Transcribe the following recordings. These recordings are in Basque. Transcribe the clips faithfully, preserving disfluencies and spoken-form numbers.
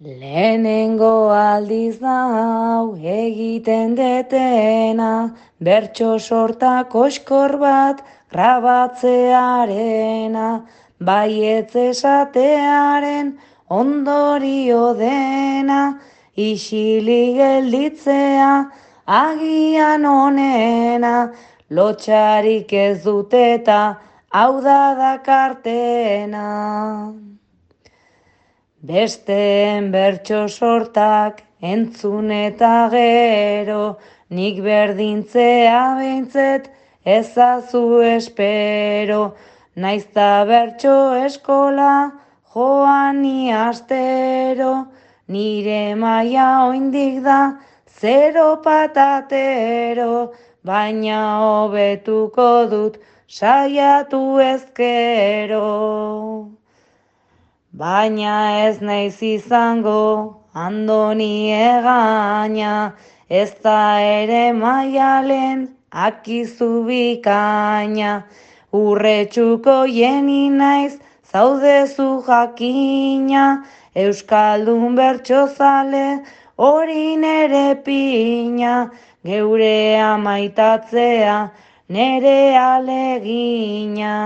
Lehenengo aldiz da hau egiten detena, bertso sorta koskor bat grabatzearena, baietz esatearen ondorio dena, isili gelditzea agian onena, lotxarik ez duteta hau da dakartena. Besteen bertso sortak entzun eta gero, nik berdintzea behintzet ezazu espero, naizta bertso eskola joan ni astero, nire maila oindik da zero patatero, baina hobetuko dut saiatu ezkero. Baina ez naiz izango andoni egaina, ez da ere maialen akizu bikaina. Urretxuko jeni naiz zaudezu jakina, euskaldun bertsozale hori nere pina, geure amaitatzea nere alegina.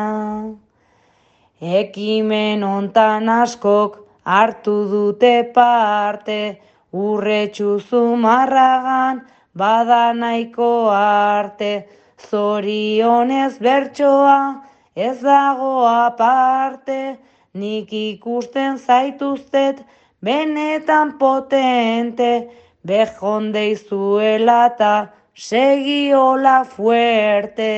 Ekimen hontan askok hartu dute parte, urretxu zumarragan bada nahiko arte, zorionez bertsoa ez dago aparte, nik ikusten zaituztet benetan potente, bejondeizuela eta segi hola fuerte.